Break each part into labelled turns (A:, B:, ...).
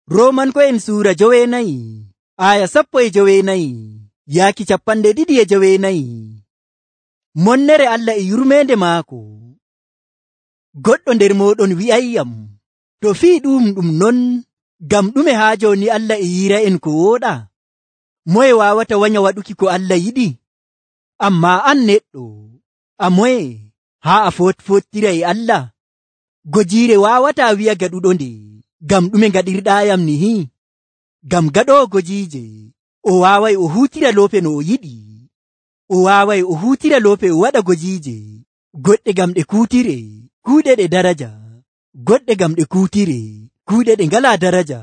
A: Roomanko'en suura 9 aya 14 yaaki 24. Monnere Allah e yurmeende maako. Goɗɗo nder mooɗon wi'ayyam, to fii ɗum non, ngam ɗume haa jooni Allah e yi'ira'en ko wooɗa? Moye waawata wanya waɗuki ko Allah yiɗi? Ammaa an neɗɗo, a moye haa a footira e Allah? Gojiire waawataa wi'a gaɗuɗonde, ngam ɗume ngaɗirɗaayam nihi? Ngam gaɗoowo gojiije, o waaway o huutira loope no o yiɗi. O waaway o huutira loope o waɗa gojiije, goɗɗe ngam ɗe kuutire kuuɗe ɗe daraja, goɗɗe ngam ɗe kuutire kuuɗe ɗe ngalaa daraja.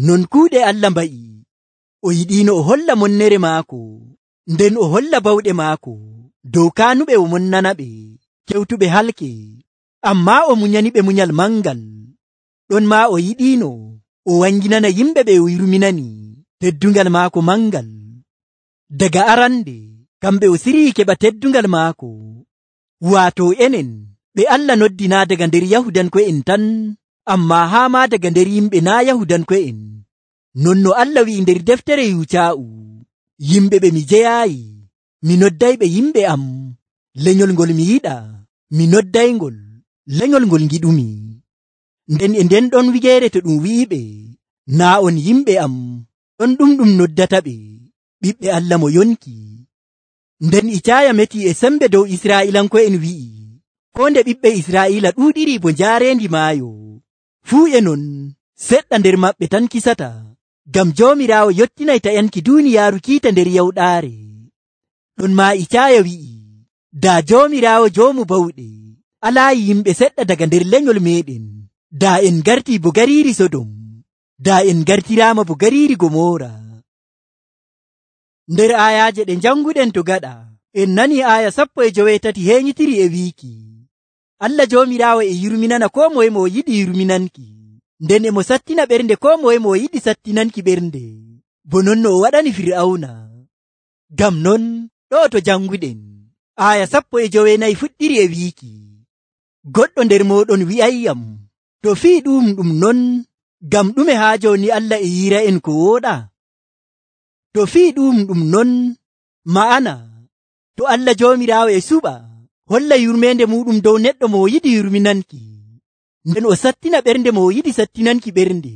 A: Non kuuɗe Allah mba'i, o yiɗiino o holla monnere maako, nden o holla bawɗe maako dow kaanuɓe o monnanaɓe kewtuɓe halke. Ammaa o munyaniɓe munyal mangal. Ɗon maa o yiɗiino o wanginana yimɓe ɓe o yurminani teddungal maako mangal. Daga arande kamɓe o sirii keɓa teddungal maako, waato enen ɓe Allah noddinaa daga nder Yahudanko'en tan, ammaa haa maa daga nder yimɓe naa Yahudanko'en. Non no Allah wi'i nder deftere Yuuca'u, yimɓe ɓe mi jeyaayi, mi noddayɓe yimɓe am. Lenyol ngol mi yiɗa, mi noddaygol, lenyol ngol ngiɗumi. Nden e nden ɗon wigeere to ɗum wi'iɓe, naa on yimɓe am, ɗon ɗum noddataɓe ɓiɓɓe Allah mo yonki. Nden Icaaya metii e sembe dow Israa'ilanko'en wi'i, koo nde ɓiɓɓe Israa'iila ɗuuɗiri bo jaareendi maayo, fuu e non seɗɗa nder maɓɓe tan kisata, ngam Joomiraawo yottinay taƴanki duuniyaaru kiita nder yawɗaare. Ɗon maa Icaaya wi'i, daa Joomiraawo joomu bawɗe alaayi yimɓe seɗɗa daga nder lenyol meeɗen, daa en gartii bo gariiri Sodom, daa en gartiraama bo gariiri Gomoora. Nder aayaaje ɗe janguɗen to gaɗa, en nani aaya 13 heeñitiri e wiiki, Allah Joomiraawo e yurminana koo moye mo yiɗi yurminanki, nden e mo sattina ɓernde koo moye mo yiɗi sattinanki ɓernde, bo non no o waɗani Fir'awna. Ngam non ɗo to janguɗen, aaya 14 fuɗɗiri e wiiki, goɗɗo nder mooɗon wi'ayyam, to fii ɗum non, ngam ɗume haa jooni Allah e yi'ira'en ko wooɗa? To fii ɗum non, ma'ana to Allah Joomiraawo e suɓa holla yurmeende muɗum dow neɗɗo mo yiɗi yurminanki, nden o sattina ɓernde mo yiɗi sattinanki ɓernde.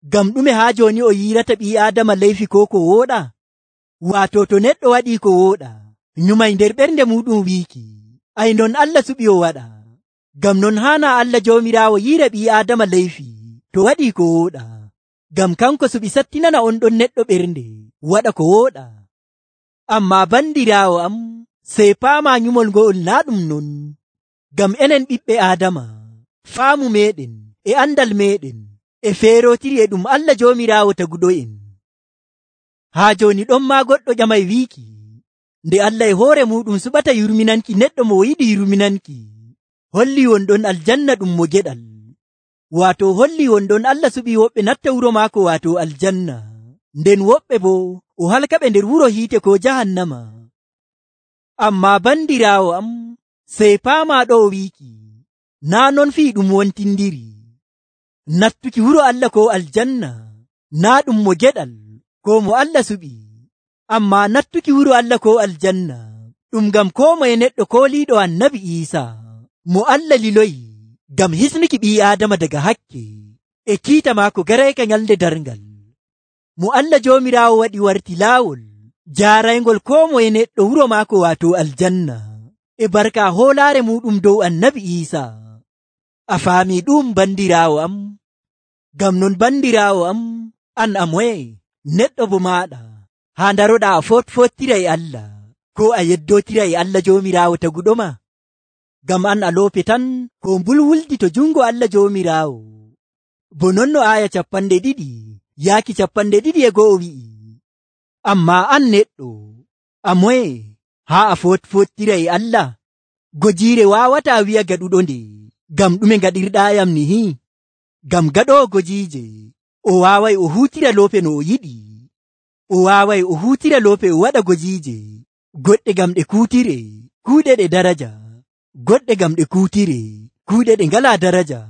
A: Ngam ɗume haa jooni o yi'irata ɓii Aadama leyfi ko ko wooɗa? Waato to neɗɗo waɗii ko wooɗa, nyumay nder ɓernde muɗum wiiki, ay non Allah suɓi o waɗa. Ngam non haana Allah Joomiraawo yi'ira ɓii Aadama leyfi to waɗii ko wooɗa, ngam kanko suɓi sattinana on ɗon neɗɗo ɓernde waɗa ko wooɗa. Ammaa bandiraawo am, sey paamaa nyumol ngo'ol naa ɗum non, ngam enen ɓiɓɓe Aadama, faamu meeɗen e andal meeɗen e feerootiri e ɗum Allah Joomiraawo taguɗo'en. Haa jooni ɗon maa goɗɗo ƴamay wiiki, nde Allah e hoore muɗum suɓata yurminanki neɗɗo mo yiɗi yurminanki, holli wonɗon aljanna ɗum mo geɗal. Waato holli wonɗon Allah suɓii woɓɓe natta wuro maako waato aljanna, nden woɓɓe bo o halkaɓe nder wuro hiite ko jahannama. Ammaa bandiraawo am, sey paamaa ɗo wiiki, naa non fii ɗum wontindiri. Nattuki wuro Allah ko aljanna naa ɗum mo geɗal ko mo Allah suɓi, ammaa nattuki wuro Allah ko aljanna ɗum ngam koo moye neɗɗo kooliiɗo Annabi Iisaa, mo Allah liloyi ngam hisnuki ɓii Aadama daga hakke e kiita maako garayka nyalde darngal. Mo Allah Joomiraawo waɗi warti laawol jaaraygol koo moye neɗɗo wuro maako waato aljanna, e barka hoolaare muɗum dow Annabi Iisaa. A faamii ɗum bandiraawo am? Ngam non bandiraawo am, an a moye, neɗɗo bo maaɗa, haa ndaroɗaa a fottira e Allah, ko a yeddootira e Allah Joomiraawo taguɗoma? Ngam an a loope tan ko mbulwuldi to jungo Allah Joomiraawo. Bo non no aaya 20 yaaki 21 wi'i, ammaa an neɗɗo, a moye haa a fottira e Allah? Gojiire waawataa wi'a gaɗuɗonde, ngam ɗume ngaɗirɗaayam nihi? Ngam gaɗoowo gojiije, o waaway o huutira loope no o yiɗi. O waaway o huutira loope o waɗa gojiije, goɗɗe ngam ɗe kuutire kuuɗe ɗe daraja, goɗɗe ngam ɗe kuutire kuuɗe ɗe ngalaa daraja.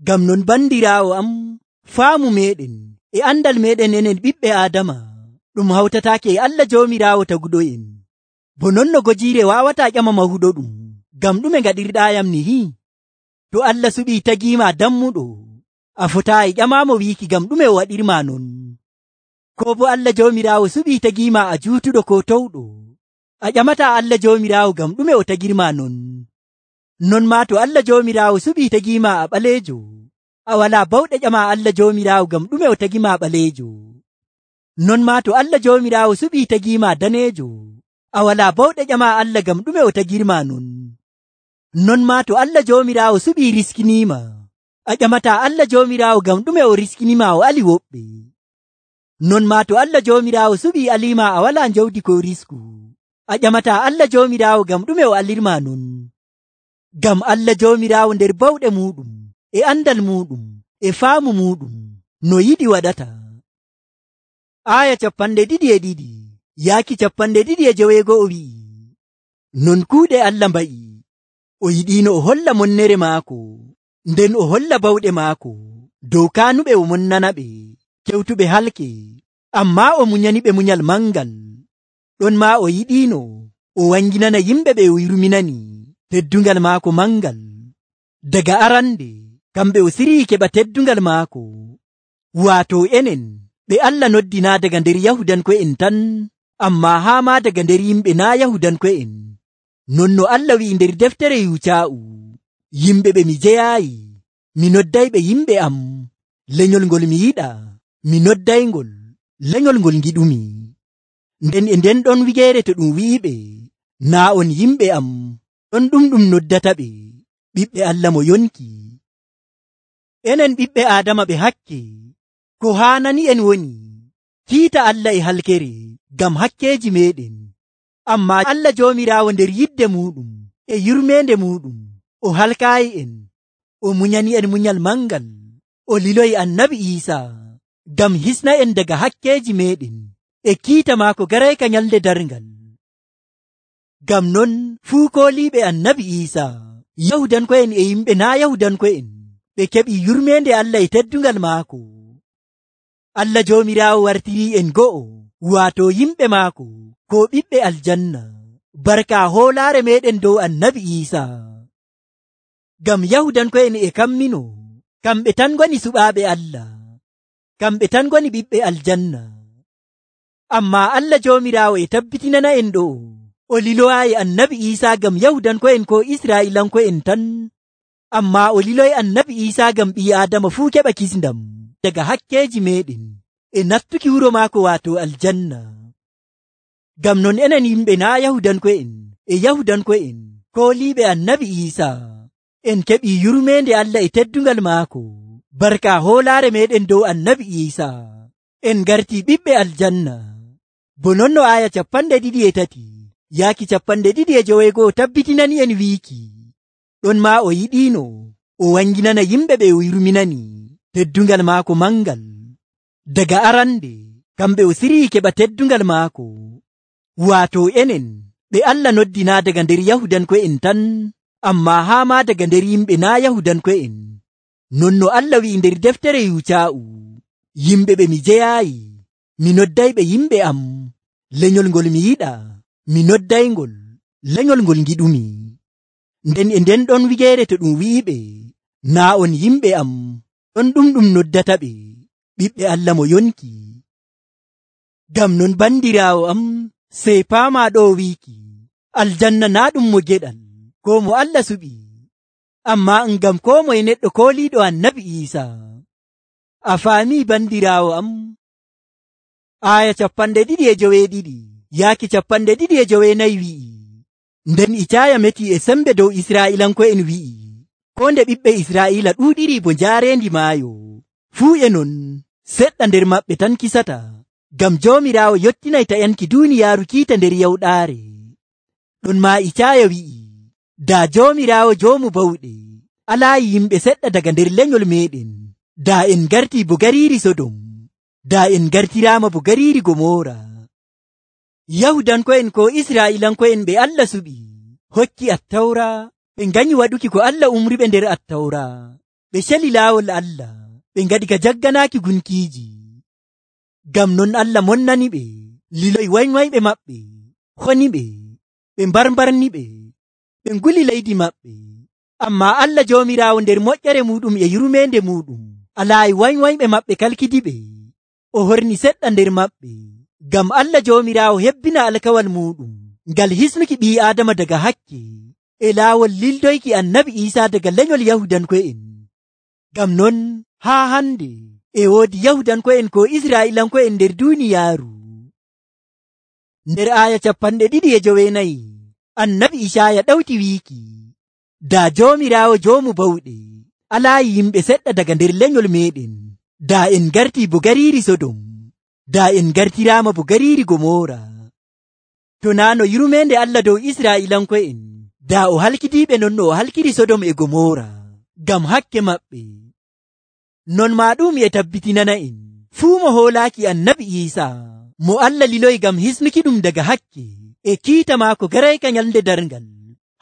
A: Ngam non bandiraawo am, faamu meɗen e andal meɗen enen ɓiɓɓe Aadama ɗum hawtataake e Allah Joomiraawo taguɗo'en. Bo non no gojiire waawataa ƴama mahuɗo ɗum, ngam ɗume ngaɗirɗaayam nihi? To Allah suɓii tagiima dammuɗo, a fotaayi ƴamaamo wiiki ngam ɗume o waɗirmaa non. Ko bo Allah Joomiraawo suɓii tagiima a juutuɗo ko towɗo, a ƴamataa Allah Joomiraawo ngam ɗume o tagirmaa non. Non maa to Allah Joomiraawo suɓii tagiima a ɓaleejo, a walaa bawɗe ƴamaa Allah Joomiraawo ngam ɗume o tagimaa ɓaleejo. Non maa to Allah Joomiraawo suɓii tagiima daneejo, a walaa bawɗe ƴamaa Allah ngam ɗume o tagirmaa non. Non maa to Allah Joomiraawo suɓii riskiniima, a ƴamataa Allah Joomiraawo ngam ɗume o riskinimaa o ali woɓɓe. Non maa to Allah Joomiraawo suɓii aliima a walaa njawdi ko risku, a ƴamataa Allah Joomiraawo ngam ɗume o alirmaa non. Ngam Allah Joomiraawo nder bawɗe muuɗum e andal muuɗum e faamu muuɗum no yiɗi waɗata. Aya 22 yaaki 22 o wi'i, non kuuɗe Allah mba'i, o yiɗiino o holla monnere maako, nden o holla bawɗe maako dow kaanuɓe o monnanaɓe kewtuɓe halke, ammaa o munyaniɓe munyal mangal. Ɗon maa o yiɗiino o wanginana yimɓe ɓe o yurminani teddungal maako mangal. Daga arande kamɓe o sirii keɓa teddungal maako, waato enen ɓe Allah noddinaa daga nder Yahudanko'en tan, ammaa haa maa daga nder yimɓe naa Yahudanko'en. Non no Allah wi'i nder deftere Yuuca'u, yimɓe ɓe mi jeyaayi, mi noddayɓe yimɓe am, lenyol ngol mi yiɗa, mi noddayngol, lenyol ngol ngiɗumi. Nden e nden ɗon wigeere to ɗum wi'iɓe, naa on yimɓe am, ɗon ɗum noddata ɓe, ɓiɓɓe Allah mo yonki. Enen ɓiɓɓe Aadama ɓe hakke, ko haanani en woni kiita Allah e halkere ngam hakkeeji meɗen. Ammaa Allah Joomiraawo nder yidde muuɗum e yurmeende muuɗum o halkaayi en, o munyani en munyal mangal, o liloyi Annabi Iisaa ngam hisna en daga hakkeeji meɗen e kiita maako garayka nyalde darngal. Ngam non fuu kooliiɓe Annabi Iisaa, Yahudanko'en e yimɓe naa Yahudanko'en, ɓe keɓi yurmeende Allah e teddungal maako. Allah Joomiraawo wartirii en go'o, waato yimɓe maako ko ɓiɓɓe aljanna, barka hoolaare meɗen dow Annabi Iisaa. Ngam Yahudanko'en e kammino, kamɓe tan ngoni suɓaaɓe Allah, kamɓe tan ngoni ɓiɓɓe aljanna. Ammaa Allah Joomiraawo e tabbitinana en ɗo, o lilowaayi Annabi Iisaa ngam Yahudanko'en ko Israa'iilanko'en tan, ammaa o liloyi Annabi Iisaa ngam ɓii Aadama fuu keɓa kisndam daga hakkeeji meɗen e nattuki wuro maako waato aljanna. Ngam non enen yimɓe naa Yahudanko'en e Yahudanko'en kooliiɓe Annabi Iisaa, en keɓii yurmeende Allah e teddungal maako, barka hoolaare meɗen dow Annabi Iisaa, en gartii ɓiɓɓe aljanna. Bo non no aya 23 yaaki 25 tabbitinani en wiiki, ɗon maa o yiɗiino o wanginana yimɓe ɓe o yurminani teddungal maako mangal. Daga arande kamɓe o sirii keɓa teddungal maako, waato enen ɓe Allah noddinaa daga nder Yahudanko'en tan, ammaa haa maa daga nder yimɓe naa Yahudanko'en. Non no Allah wi'i nder deftere Yuuca'u, yimɓe ɓe mi jeyaayi, mi noddayɓe yimɓe am, lenyol ngol mi yiɗa, mi noddayngol, lenyol ngol ngiɗumi. Nden e nden ɗon wigeere to ɗum wi'iɓe, naa on yimɓe am, ɗon ɗum noddata ɓe, ɓiɓɓe Allah mo yonki. Ngam non bandiraawo am, sey paamaa ɗo wiiki, aljanna naa ɗum mo geɗal, ko mo Allah suɓi, ammaa ngam ko moye neɗɗo kooliiɗo Annabi Iisaa. A faamii bandiraawo am? Aya 22 yaaki 24 wi'i, nden Icaaya metii e sembe dow Israa'iilanko'en wi'i, ko nde ɓiɓɓe Israa'iila ɗuuɗiri bo jaareendi maayo, fuu e non seɗɗa nder maɓɓe tan kisata, ngam Joomiraawo yottinay taƴanki duuniyaaru kiita nder yawɗaare. Ɗon maa Icaaya wi'i, daa Joomiraawo joomu bawɗe alaayi yimɓe seɗɗa daga nder lenyol meɗen, daa en gartii bo gariiri Sodom, daa en gartiraama bo gariiri Gomora. Yahudanko'en ko Israa'iilanko'en ɓe Allah suɓi, hokki Attawra, ɓe nganyi waɗuki ko Allah umriɓe nder Attawra, ɓe celi laawol Allah, ɓe ngaɗi ka jagganaaki gunkiiji. Ngam non Allah monnani ɓe, liloyi wanywayɓe maɓɓe, honi ɓe, ɓe mbarmbarni ɓe, ɓe nguli leydi maɓɓe. Ammaa Allah Joomiraawo nder moƴƴere muɗum e yurmeende muɗum alaayi wanywayɓe maɓɓe kalkidiɓe, o horni seɗɗa nder maɓɓe. Ngam Allah Joomiraawo hebbina alkawal muɗum ngal hisnuki ɓii Aadama daga hakke e laawol lildoyki Annabi Iisaa daga lenyol Yahudanko'en. Ngam non haa hande e woodi Yahudanko'en ko Israa'iilanko'en nder duuniyaaru. Nder aaya 294 Annabi Iisaaya ɗawti wiiki, daa Joomiraawo joomu bawɗe alaayi yimɓe seɗɗa daga nder lenyol meɗen, daa en gartii bo gariiri Sodom, daa en gartiraama bo gariiri Gomoora. To naa no yurmeende Allah dow Israa'iilanko'en, daa o halkidiiɓe non no o halkiri Sodom e Gomoora ngam hakke maɓɓe. Non maa ɗum e tabbitinana en fuu mo hoolaaki Annabi Iisaa mo Allah liloyi ngam hisnuki ɗum daga hakke e kiita maako garayka nyalnde darngal,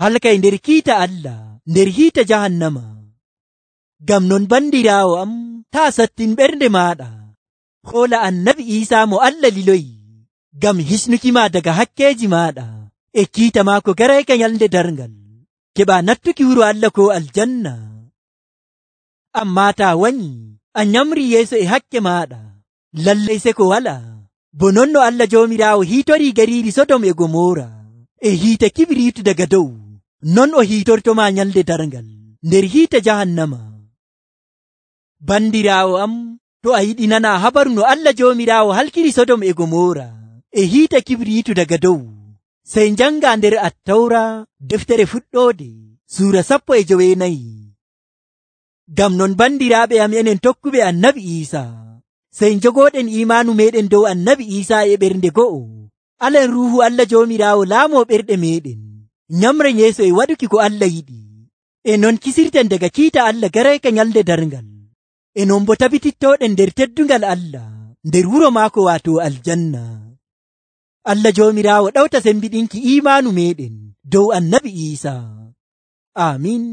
A: halkay nder kiita Allah nder hiita jahannama. Ngam non bandiraawo am, taa sattin ɓernde maaɗa, hoola Annabi Iisaa mo Allah liloyi ngam hisnuki ma daga hakkeeji maaɗa e kiita maako garayka nyalnde darngal, keɓa nattuki wuro Allah ko aljanna. Ammaa taa wanyi a nyamri yeeso e hakke maaɗa, lallay seko walaa, bo non no Allah Joomiraawo hiitorii gariiri Sodom e Gomoora e hiite kibiriitu daga dow, non o hiitortoma nyalnde darngal nder hiite jahannama. Bandiraawo am, to a yiɗi nana habaru no Allah Joomiraawo halkiri Sodom e Gomoora e hiite kibiriitu daga dow, sey njanga nder Attawra deftere fuɗɗoode suura 19. Ngam non bandiraaɓe am enen tokkuɓe Annabi Iisaa, sey njogooɗen imaanu meɗen dow Annabi Iisaa e ɓernde go'o, alen Ruuhu Allah Joomiraawo laamoo ɓerɗe meɗen, nyamren yeeso e waɗuki ko Allah yiɗi, e non kisirten daga kiita Allah garayka nyalnde darngal, e non bo tabitittooɗen nder teddungal Allah nder wuro maako waato aljanna. Allah Joomiraawo ɗawta sembiɗinki imaanu meɗen dow Annabi Iisaa. Aamin.